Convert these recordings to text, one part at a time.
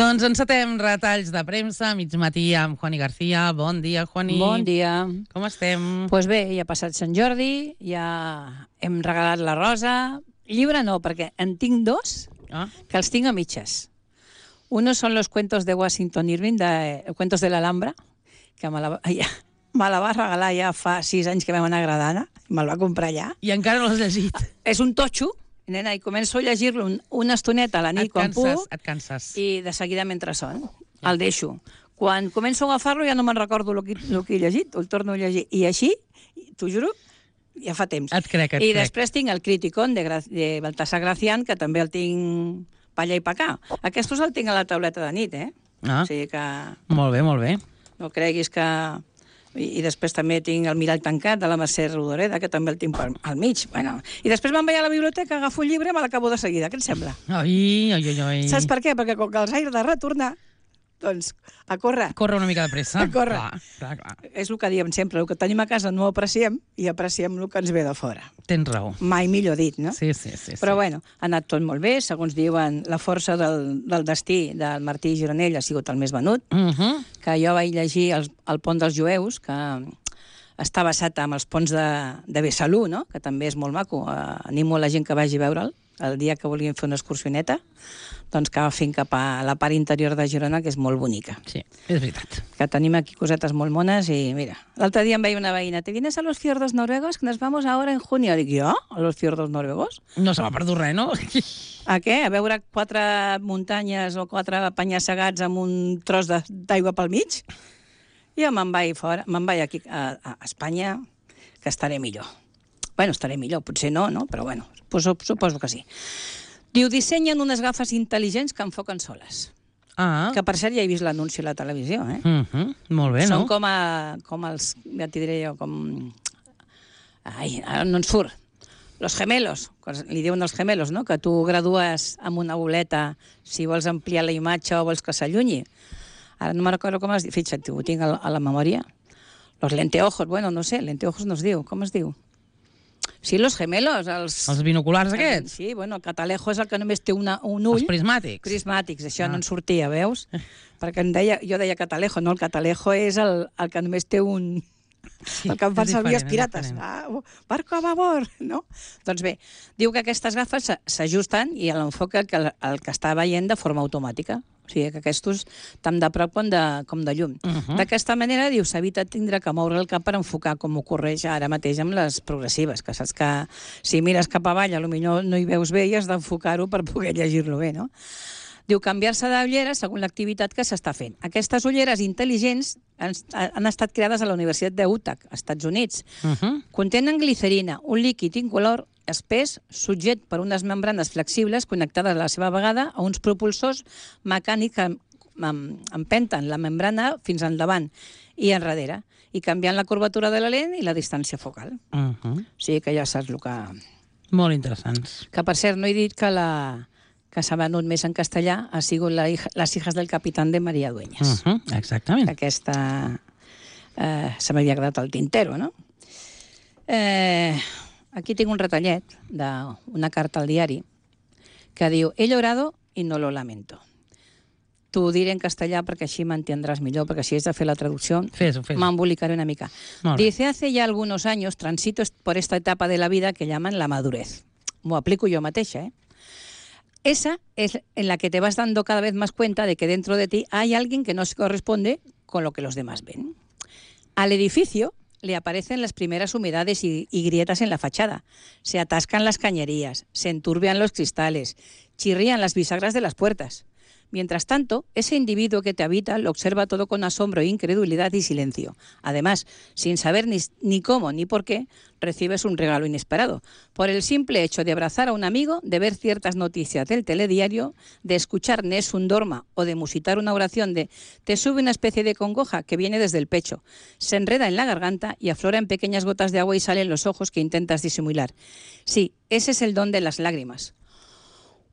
Doncs encetem retalls de premsa, mig matí amb Juani García. Bon dia, Juani. Bon dia. Com estem? Doncs bé, ja ha passat Sant Jordi, ja hem regalat la rosa. Llibre no, perquè en tinc dos que els tinc a mitges. Uno son los cuentos de Washington Irving, cuentos de l'Alhambra, que me la va regalar ja fa 6 anys que vam anar a Granada, i me'l va comprar allà. I encara no l'has llegit. És un totxo, nena, i començo a llegir-lo una estoneta a la nit quan puc. Et canses. I de seguida mentre son. El deixo. Quan començo a agafar-lo ja no me'n recordo el que he llegit, el torno a llegir. I així, t'ho juro, ja fa temps. Et crec. I després tinc el Criticón de Baltasar Gracián, que també el tinc pa allà i pa acá. Aquestos el tinc a la tauleta de nit, O sigui que... Molt bé. No creguis que... I després també tinc el Mirall tancat de la Mercè Rodoreda, que també el tinc al mig. Bueno, i després me'n vaig a la biblioteca, agafo un llibre i me l'acabo de seguida. Què et sembla? Ai. Saps per què? Perquè com que els haig de retornar, doncs, a córrer. Corre una mica de pressa. A córrer. Clar. És el que diem sempre, el que tenim a casa no ho apreciem i apreciem el que ens ve de fora. Tens raó. Mai millor dit, no? Sí. Però bueno, ha anat tot molt bé, segons diuen, la força del destí del Martí Gironell ha sigut el més venut, que jo vaig llegir el Pont dels Jueus, que està basat en els ponts de Besalú, no? Que també és molt maco. Animo la gent que vagi a veure'l el dia que volien fer una excursioneta, doncs que agafin cap a la part interior de Girona, que és molt bonica. Sí, és veritat. Que tenim aquí cosetes molt mones i mira, l'altre dia em veia una veïna, ¿te vienes a los fiordos noruegos? Que nos vamos ahora en junio. Dic, jo? A los fiordos noruegos? No se m'ha perdut res, no? A què? A veure 4 muntanyes o 4 penya-segats amb un tros d'aigua pel mig? Jo me'n vaig aquí a Espanya, que estaré millor. Bueno, estaré millor, potser no, però bueno, suposo que sí. Diu, dissenyen unes gafes intel·ligents que enfoquen soles. Que per cert ja he vist l'anunci a la televisió, Molt bé, no? Són com els, ja t'hi diré jo, com... Ai, ara no ens surt. Los gemelos, li diuen els gemelos, no? Que tu gradues amb una boleta si vols ampliar la imatge o vols que s'allunyi. Ara no me'n recordo com es diu. Fixa't, ho tinc a la memòria. Los lenteojos, bueno, no sé, lenteojos no es diu. Com es diu? Sí, los gemelos. Els binoculars aquests? Sí, bueno, el catalejo és el que només té un ull. Els prismàtics. Prismàtics, això no en sortia, veus? Perquè jo deia catalejo, no? El catalejo és el que només té un... Sí, el que em fan servir els pirates. Barco a babor, no? Doncs bé, diu que aquestes gafes s'ajusten i l'enfoca el que està veient de forma automàtica. O sigui, que aquests tant de prop com de llum. D'aquesta manera, diu, s'evita tindre que moure el cap per enfocar, com ocorreix ara mateix amb les progressives, que saps que si mires cap avall, potser no hi veus bé i has d'enfocar-ho per poder llegir-lo bé, no? Diu, canviar-se d'ullera segons l'activitat que s'està fent. Aquestes ulleres intel·ligents han estat creades a la Universitat d'Utah, als Estats Units. Contenen glicerina, un líquid incolor espès, subject per unes membranes flexibles connectades a la seva vegada a uns propulsors mecànics que empenten la membrana fins endavant i enrere, i canviant la curvatura de la lent i la distància focal. O sigui que ja saps el que... Molt interessants. Que, per cert, no he dit que s'ha venut més en castellà ha sigut Les hijas del capitán de María Dueñas. Exactament. Aquesta se m'havia quedat al tintero, no? Aquí tinc un retallet d'una carta al diari que diu, he llorado y no lo lamento. T'ho diré en castellà perquè així m'entendràs millor, perquè si has de fer la traducció m'embolicaré una mica. Dice, hace ya algunos años transito por esta etapa de la vida que llaman la madurez. M'ho aplico jo mateixa, Esa es en la que te vas dando cada vez más cuenta de que dentro de ti hay alguien que no se corresponde con lo que los demás ven. Al edificio le aparecen las primeras humedades y grietas en la fachada. Se atascan las cañerías, se enturbian los cristales, chirrían las bisagras de las puertas. Mientras tanto, ese individuo que te habita lo observa todo con asombro, incredulidad y silencio. Además, sin saber ni cómo ni por qué, recibes un regalo inesperado. Por el simple hecho de abrazar a un amigo, de ver ciertas noticias del telediario, de escuchar Nessun Dorma o de musitar una oración te sube una especie de congoja que viene desde el pecho, se enreda en la garganta y aflora en pequeñas gotas de agua y sale en los ojos que intentas disimular. Sí, ese es el don de las lágrimas.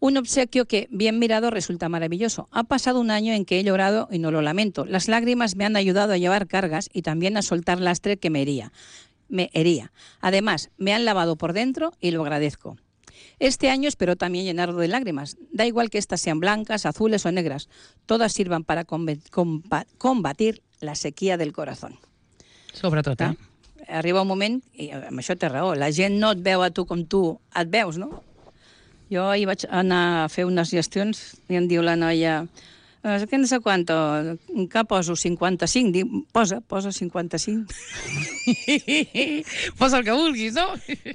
Un obsequio que, bien mirado, resulta maravilloso. Ha pasado un año en que he llorado y no lo lamento. Las lágrimas me han ayudado a llevar cargas y también a soltar lastre que me hería. Además, me han lavado por dentro y lo agradezco. Este año espero también llenarlo de lágrimas. Da igual que estas sean blancas, azules o negras. Todas sirvan para combatir la sequía del corazón. Sobretot, eh? Arriba un moment, i amb això té raó, la gent no et veu a tu com tu et veus, no? Jo ahir vaig anar a fer unes gestions i em diu la noia, què no sé quanto, que poso 55? Dic, posa 55. Posa el que vulguis, no?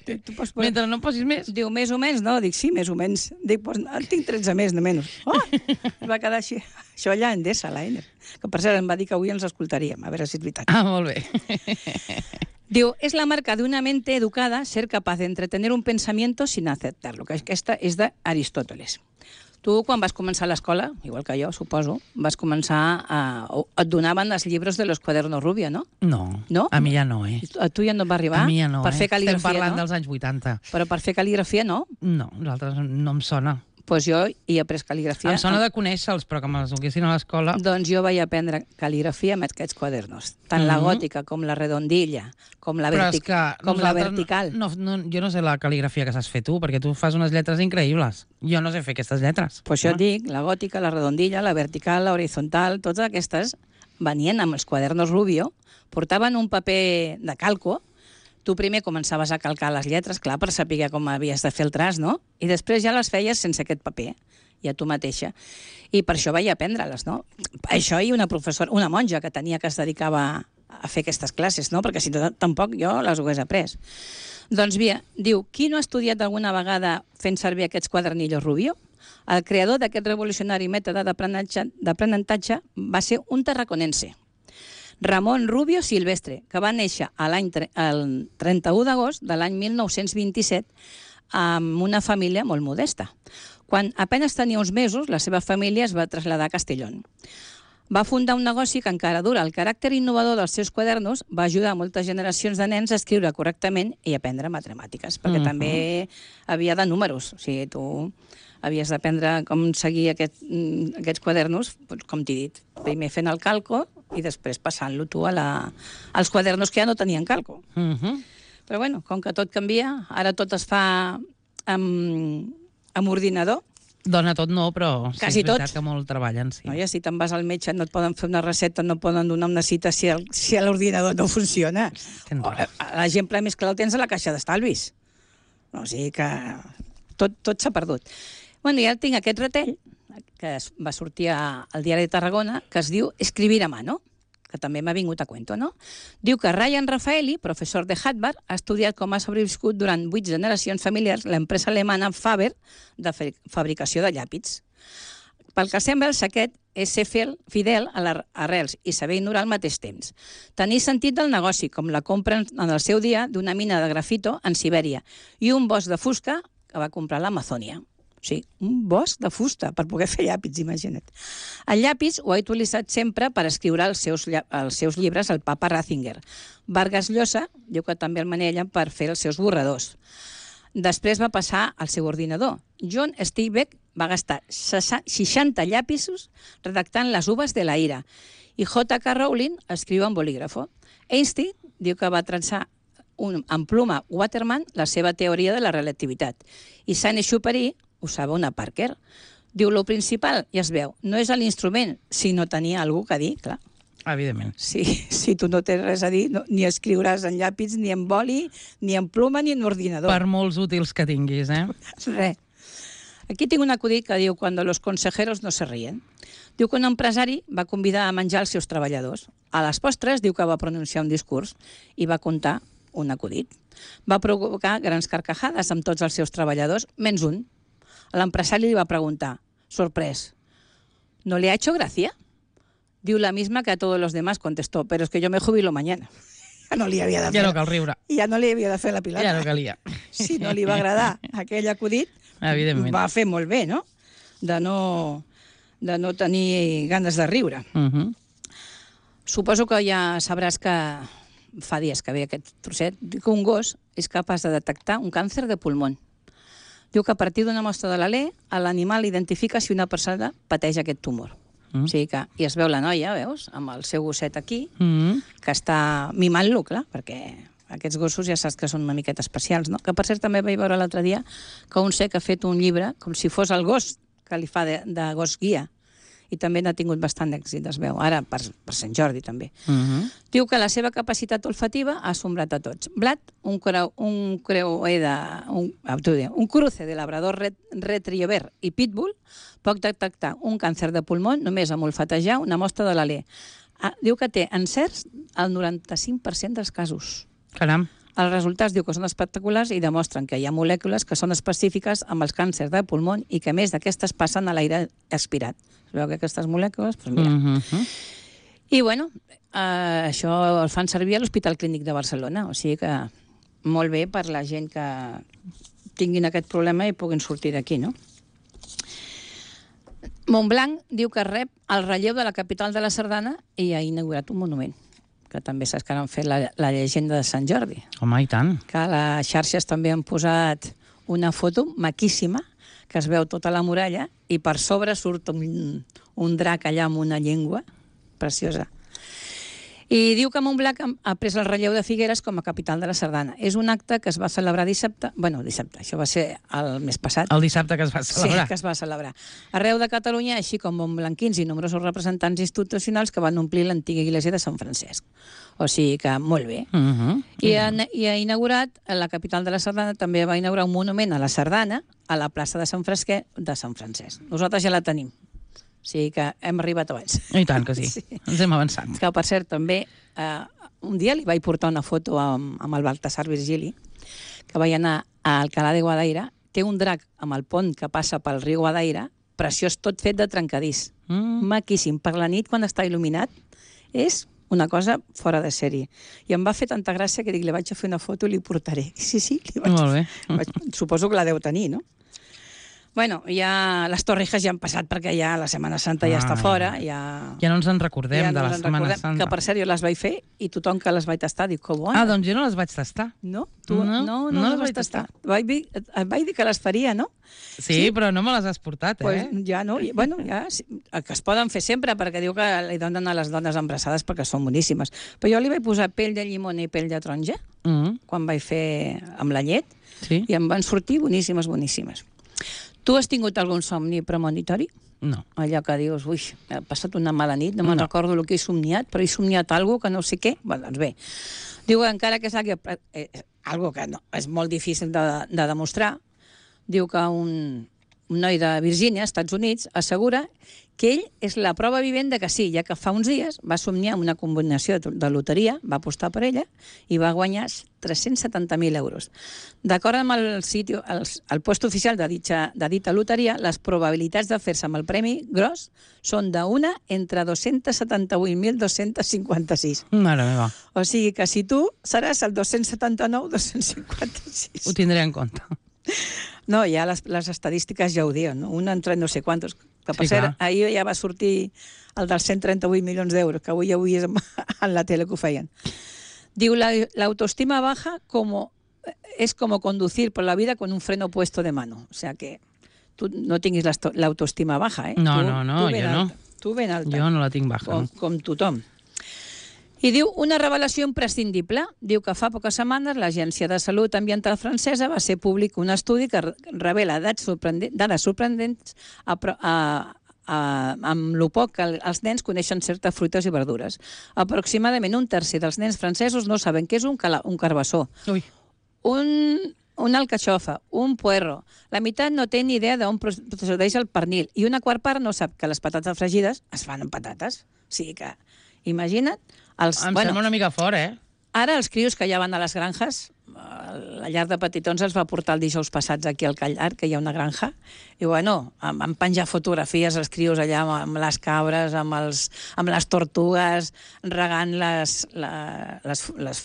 Tu pots... Mentre no posis més. Diu, més o menys, no? Dic, sí, més o menys. Dic, pues, en tinc 13 més, no menys. Oh! Es va quedar així. Això allà en Endesa, l'Einer. Que per cert em va dir que avui ens escoltaríem, a veure si és veritat. Ah, molt bé. Diu, es la marca de una mente educada ser capaz de entretener un pensamiento sin aceptarlo, que aquesta és d'Aristòteles. Tu, quan vas començar a l'escola, igual que jo, suposo, vas començar et donaven els llibres de los cuadernos Rubio, no? No, a mi ja no, eh? A tu ja no et va arribar? A mi ja no, per fer cal·ligrafia, estem parlant no? dels anys 80. Però per fer cal·ligrafia, no? No, nosaltres no em sona. Doncs jo hi he après cal·ligrafia. Em sona de conèixer-los, però que me'ls donessin a l'escola... Doncs jo vaig aprendre cal·ligrafia amb aquests quadernos. Tant la gòtica com la redondilla, com la vertical. Jo no sé la cal·ligrafia que saps fer tu, perquè tu fas unes lletres increïbles. Jo no sé fer aquestes lletres. Pues jo et dic, la gòtica, la redondilla, la vertical, la horitzontal, totes aquestes venien amb els quadernos Rubio, portaven un paper de calco. Tu primer començaves a calcar les lletres, clar, per saber com havies de fer el traç, no? I després ja les feies sense aquest paper, ja tu mateixa. I per això vaig aprendre-les, no? Això i una professora, una monja que tenia que es dedicava a fer aquestes classes, no? Perquè si no, tampoc jo les hagués après. Doncs bé, diu, qui no ha estudiat alguna vegada fent servir aquests quadernillos Rubio? El creador d'aquest revolucionari mètode d'aprenentatge va ser un tarraconense, Ramon Rubio Silvestre, que va néixer el 31 d'agost de l'any 1927 amb una família molt modesta. Quan apenas tenia uns mesos, la seva família es va traslladar a Castellón. Va fundar un negoci que encara dura. El caràcter innovador dels seus quadernos va ajudar a moltes generacions de nens a escriure correctament i aprendre matemàtiques, perquè també havia de números. O sigui, tu havies d'aprendre com seguir aquests quadernos, com t'he dit, primer fent el calco i després passant-lo tu als quadernos que ja no tenien calco. Però bueno, com que tot canvia, ara tot es fa amb ordinador. Dona tot no, però sí, quasi és veritat tot. Que molt treballen, sí. No, ja si te'n vas al metge no et poden fer una recepta, no et poden donar una cita si l'ordinador no funciona. L'exemple més clar el tens a la caixa d'estalvis. O sigui que tot s'ha perdut. Bueno, ja tinc aquest retell, que va sortir al Diari de Tarragona, que es diu Escribir a mano, que també m'ha vingut a cuento, no? Diu que Ryan Raffaelli, professor de Harvard, ha estudiat com ha sobreviscut durant 8 generacions familiars l'empresa alemana Faber de fabricació de llàpids. Pel que sembla, el secret és ser fidel a les arrels i saber ignorar al mateix temps. Tenir sentit del negoci, com la compra en el seu dia d'una mina de grafito en Sibèria i un bosc de fusta que va comprar a l'Amazònia. O sigui, un bosc de fusta per poder fer llàpids, imagina't. El llapis ho ha utilitzat sempre per escriure els seus llibres el papa Ratzinger. Vargas Llosa diu que també el manella per fer els seus borradors. Després va passar al seu ordinador. John Steinbeck va gastar 60 llapisos redactant les uves de la ira. I J.K. Rowling escriu en bolígrafo. Einstein diu que va traçar en pluma Waterman la seva teoria de la relativitat. I Saint-Exupéry usava una Parker. Diu, lo principal, ja es veu, no és l'instrument, sinó tenir algú que dir, clar. Evidentment. Si tu no tens res a dir, ni escriuràs en llàpids, ni en boli, ni en pluma, ni en ordinador. Per molts útils que tinguis, eh? Res. Aquí tinc un acudit que diu «Cuando los consejeros no se ríen». Diu que un empresari va convidar a menjar els seus treballadors. A les postres diu que va pronunciar un discurs i va contar un acudit. Va provocar grans carcajades amb tots els seus treballadors, menys un. L'empresari li va preguntar, sorprès, ¿no le ha hecho gracia? Diu la misma que a todos los demás, contestó, pero es que yo me jubilo mañana. Ja no li havia de fer... Ja no cal riure. Ja no li havia de fer la pilota. Ja no calia. Si no li va agradar aquell acudit, va fer molt bé, no? De no tenir ganes de riure. Suposo que ja sabràs que fa dies que ve aquest trosset, que un gos és capaç de detectar un càncer de pulmó. Diu que a partir d'una mostra de l'alè, l'animal identifica si una persona pateix aquest tumor. O sigui que, i es veu la noia, veus, amb el seu gosset aquí, que està mimant-lo, clar, perquè aquests gossos ja saps que són una miqueta especials, no? Que per cert també vaig veure l'altre dia que un sec ha fet un llibre com si fos el gos que li fa de gos guia, i també n'ha tingut bastant d'èxit, es veu, ara per Sant Jordi també. Diu que la seva capacitat olfativa ha assombrat a tots. Blat, un cruce de labrador retriever i pitbull, pot detectar un càncer de pulmó només amb olfatejar una mostra de l'alè. Diu que té encerts al 95% dels casos. Caram. Els resultats diu que són espectaculars i demostren que hi ha molècules que són específiques amb els càncers de pulmó i que, a més d'aquestes, passen a l'aire expirat. Es veu que aquestes molècules, doncs mira. I, bueno, això el fan servir a l'Hospital Clínic de Barcelona, o sigui que molt bé per la gent que tinguin aquest problema i puguin sortir d'aquí, no? Montblanc diu que rep el relleu de la capital de la Sardana i ha inaugurat un monument, que també saps que han fet la llegenda de Sant Jordi. Home, i tant. Que a les xarxes també han posat una foto maquíssima, que es veu tota la muralla, i per sobre surt un drac allà amb una llengua preciosa. I diu que Montblanc ha pres el relleu de Figueres com a capital de la Sardana. És un acte que es va celebrar dissabte, això va ser el mes passat. El dissabte que es va celebrar. Sí, que es va celebrar. Arreu de Catalunya, així com montblanquins i nombrosos representants institucionals que van omplir l'antiga església de Sant Francesc. O sigui que molt bé. I ha inaugurat, la capital de la Sardana, també va inaugurar un monument a la Sardana, a la plaça de Sant Francesc. Nosaltres ja la tenim. O sigui que hem arribat abans. I tant que sí. Ens hem avançat. Que, per cert, també, un dia li vaig portar una foto amb el Baltasar Virgili, que vaig anar a Alcalá de Guadaira. Té un drac amb el pont que passa pel riu Guadaira, preciós, tot fet de trencadís. Maquíssim. Per la nit, quan està il·luminat, és una cosa fora de sèrie. I em va fer tanta gràcia que dic, li vaig a fer una foto i li portaré. Sí, molt bé. Suposo que la deu tenir, no? Bueno, ja les Torrijas ja han passat perquè ja la Setmana Santa ja està fora. Ja no ens en recordem de la Setmana Santa. Que per cert jo les vaig fer i tothom que les vaig tastar diu que bona. Doncs jo no les vaig tastar. No? Tu no les vaig tastar. Et vaig dir que les faria, no? Sí, però no me les has portat, Pues ja no. Bueno, ja que es poden fer sempre perquè diu que li donen a les dones embarassades perquè són boníssimes. Però jo li vaig posar pell de llimona i pell de taronja quan vaig fer amb la llet i em van sortir boníssimes, boníssimes. Tu has tingut algun somni premonitori? No. Allò que dius, ui, he passat una mala nit, no me'n recordo el que he somniat, però he somniat alguna cosa que no sé què. Bé, doncs bé. Diu, encara que és algo que no, és molt difícil de demostrar, diu que un noi de Virgínia, Estats Units, assegura que ell és la prova vivent de que sí, ja que fa uns dies va somniar amb una combinació de loteria, va apostar per ella i va guanyar 370.000 euros. D'acord amb el post oficial de dita loteria, les probabilitats de fer-se amb el premi gros són d'una entre 278.256. Mare meva. O sigui que si tu seràs el 279-256. Ho tindré en compte. No, ja les estadístiques ja ho diuen, no? Una entre no sé quantos. Que per cert, ahir ja va sortir el dels 138 milions d'euros, que avui ja ho veies en la tele que ho feien. Diu, la autoestima baja es como conducir por la vida con un freno puesto de mano. O sea que tu no tinguis l'autoestima baja, eh? No, jo no. Tu ben alta. Jo no la tinc baja. Com tothom. I diu, una revelació imprescindible. Diu que fa poques setmanes l'Agència de Salut Ambiental francesa va ser públic un estudi que revela dades sorprendents amb lo poc que els nens coneixen certes fruites i verdures. Aproximadament un tercer dels nens francesos no saben què és un carbassó, una alcachofa, un puerro. La meitat no té ni idea d'on procedeix el pernil i una quart part no sap que les patates fregides es fan amb patates. O sigui que, imagina't, em sembla una mica fort, Ara els crios que ja van a les granges, la llar de petitons els va portar el dijous passats aquí al Callar, que hi ha una granja, i bueno, van penjar fotografies els crios allà amb les cabres, amb les tortugues, regant les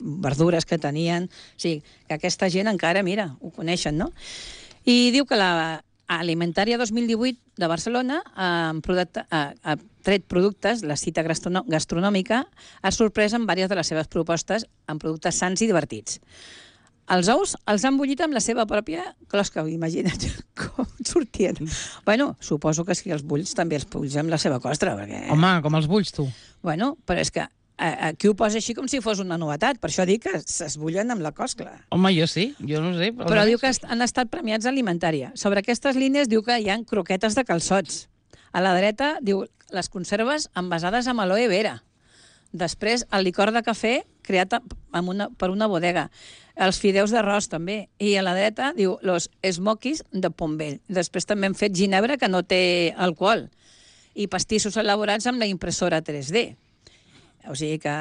verdures que tenien. O sigui, que aquesta gent encara, mira, ho coneixen, no? I diu que la Alimentària 2018 de Barcelona ha tret productes, la cita gastronòmica, ha sorprès amb diverses de les seves propostes amb productes sans i divertits. Els ous els han bullit amb la seva pròpia closca, imagina't com sortien. Bueno, suposo que si els bulls també els bulls amb la seva costra, perquè... Home, com els bulls, tu. Bueno, però és que aquí ho posa així com si fos una novetat, per això dic que s'esbullen amb la coscla. Home, jo sí, jo no ho sé. Però diu que han estat premiats a alimentària. Sobre aquestes línies diu que hi ha croquetes de calçots. A la dreta diu les conserves envasades amb aloe vera. Després, el licor de cafè creat per una bodega. Els fideus d'arròs, també. I a la dreta, diu, los smokies de Pombell. Després també han fet ginebra, que no té alcohol. I pastissos elaborats amb la impressora 3D. O sigui que...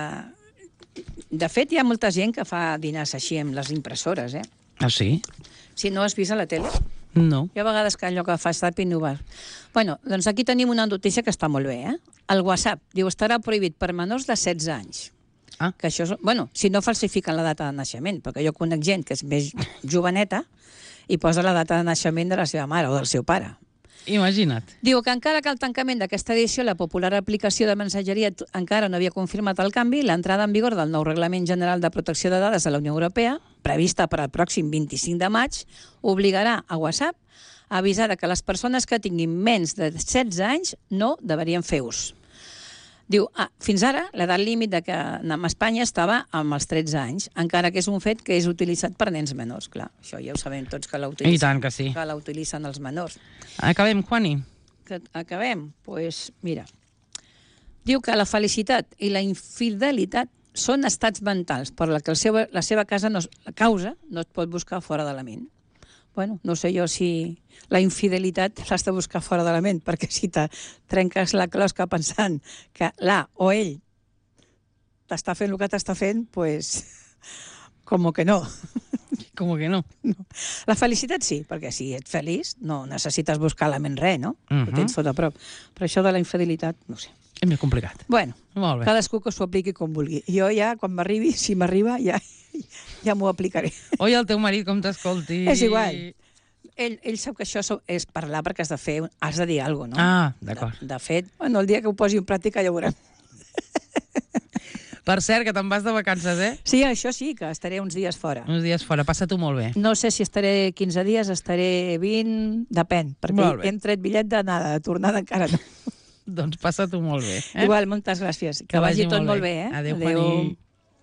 De fet, hi ha molta gent que fa dinars així amb les impressores, eh? Ah, sí? Si no has vist a la tele. No. Hi ha vegades que allò que fa estar innovar. Bueno, doncs aquí tenim una notícia que està molt bé, eh? El WhatsApp, diu, estarà prohibit per menors de 16 anys. Ah. Que això és... Bueno, si no falsifiquen la data de naixement, perquè jo conec gent que és més joveneta i posa la data de naixement de la seva mare o del seu pare. Imagina't. Diu que encara que el tancament d'aquesta edició, la popular aplicació de mensageria encara no havia confirmat el canvi, l'entrada en vigor del nou Reglament General de Protecció de Dades de la Unió Europea, prevista per al pròxim 25 de maig, obligarà a WhatsApp a avisar que les persones que tinguin menys de 16 anys no deberien fer ús. Diu, fins ara, l'edat límit que a Espanya estava amb els 13 anys, encara que és un fet que és utilitzat per nens menors. Clar, això ja ho sabem tots que l'utilitzen. I tant que sí. Que l'utilitzen els menors. Acabem, Juani? Acabem? Doncs mira, diu que la felicitat i la infidelitat són estats mentals per la que la seva causa no es pot buscar fora de la ment. Bueno, no sé jo si la infidelitat l'has de buscar fora de la ment, perquè si te trenques la closca pensant que l'A o ell t'està fent el que t'està fent, pues, com que no. Com que no? No. La felicitat sí, perquè si ets feliç no necessites buscar la ment res, no? Ho tens tot a prop. Però això de la infidelitat, no sé. És més complicat. Bueno, molt bé. Cadascú que s'ho apliqui com vulgui. Jo ja, quan m'arribi, si m'arriba, ja m'ho aplicaré. Oi, el teu marit com t'escolti... És igual. Ell sap que això és parlar perquè has de dir alguna cosa, no? Ah, d'acord. De fet, bueno, el dia que ho posi en pràctica ja ho veurem. Per cert, que te'n vas de vacances, eh? Sí, això sí, que estaré uns dies fora. Uns dies fora, passa-t'ho molt bé. No sé si estaré 15 dies, estaré 20, depèn, perquè hem tret bitllet d'anada, de tornada encara no. Doncs passa-t'ho molt bé. Igual, moltes gràcies. Que vagi tot molt bé, eh? Adéu, Juani.